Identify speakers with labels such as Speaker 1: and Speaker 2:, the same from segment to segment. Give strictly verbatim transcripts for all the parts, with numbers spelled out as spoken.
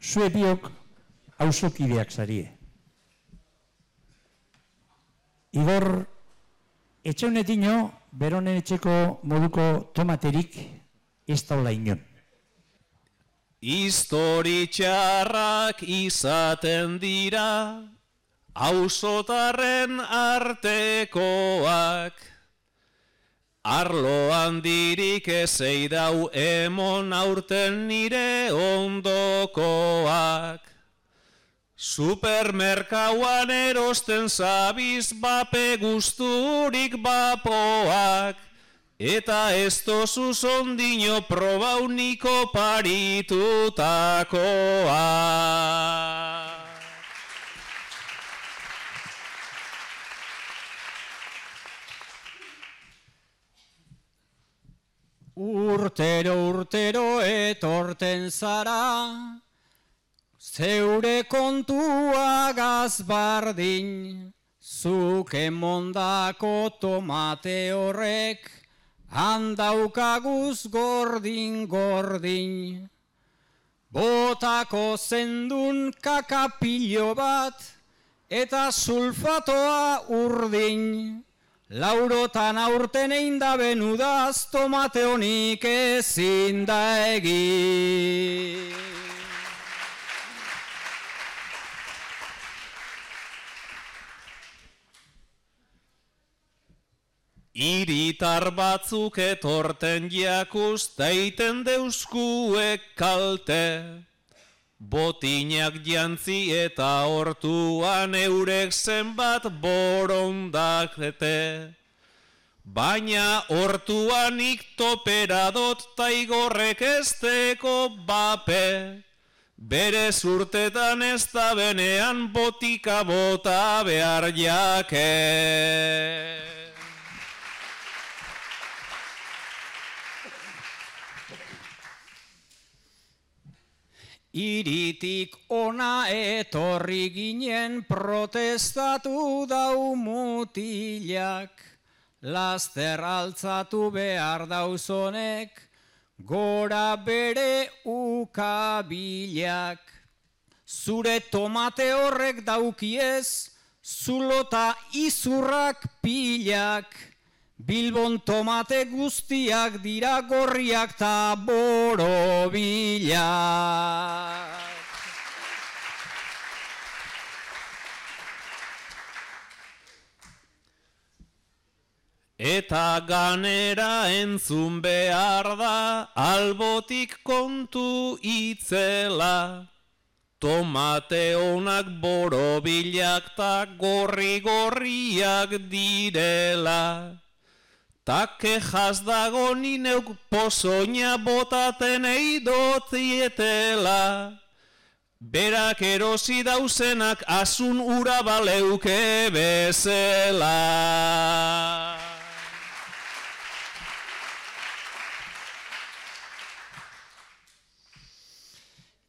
Speaker 1: zue biok auzokideak zarie. Igor, etxaunetino, beronen etxeko moduko tomaterik ez daula inon.
Speaker 2: Histori txarrak izaten dira, auzotarren artekoak. Arlo handirik ezei dau emon aurten nire ondokoak. Supermerkauan erosten zabiz bape guzturik bapoak, eta ez tozuz ondino probauniko paritutakoak.
Speaker 3: Urtero urtero etorten zara, zeure kontua gazbardin, zuk emondako tomate horrek, handaukaguz gordin gordin. Botako zendun kakapilo bat, eta sulfatoa urdin. Laurotan aurten egin da benudaz, tomate honik ezin da egin.
Speaker 2: Hiritar batzuk etorten jakuz, daiten deuskuek kalte. Botinak jantzi eta hortuan eurek zenbat borondakete. Baina hortuanik toperadot taigorrek esteko bape. Bere zurtetan ez da benean botika bota behar jake.
Speaker 3: Iritik ona etorri ginen protestatu dau mutilak, laster altzatu behar dauzonek, gora bere ukabilak. Zure tomate horrek daukiez, zulota izurrak pilak, Bilbon tomate guztiak dira gorriak ta borobilak.
Speaker 2: Eta ganera entzun behar da, albotik kontu itzela. Tomate onak borobilak ta gorri-gorriak direla. Ta kejaz dago nineuk pozoina botaten eidotzietela. Berak erosi dauzenak asun ura baleuke bezela.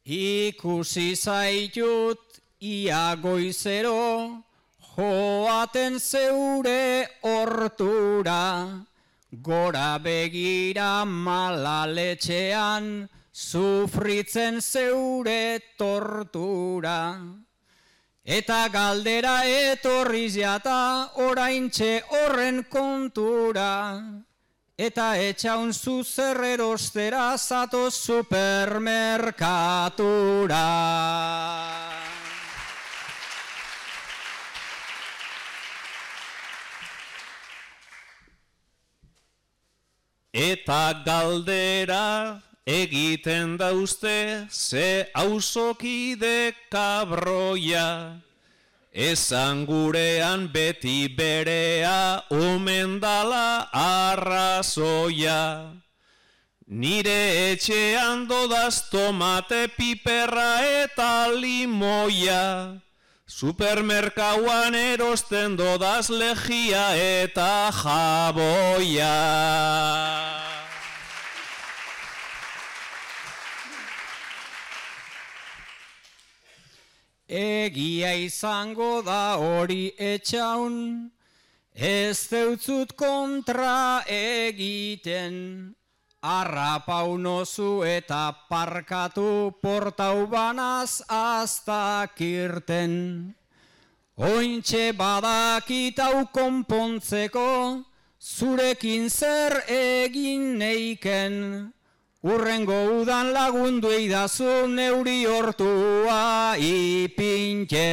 Speaker 3: Ikusi zaitut ia goizero, joaten zeure hortura, gora begira malaletxean, sufritzen zeure tortura. Eta galdera etorriz jata oraintxe horren kontura, eta etxaun zuzer erostera zatoz supermerkatura.
Speaker 2: Eta galdera egiten dauzte ze auzokide kabroia. Esan gurean beti berea omen dala arrazoia. Nire etxean dodaz tomate piperra eta limoia. Supermerkauan erosten dodaz lejia eta jaboia.
Speaker 3: Egia izango da hori etxaun, ez deutzut kontra egiten, Arrapau nozu eta parkatu portau banaz aztakirten. Ointxe badakitau konpontzeko, zurekin zer egin neiken. Urrengo udan lagundu eidazu neuri hortua ipintxe.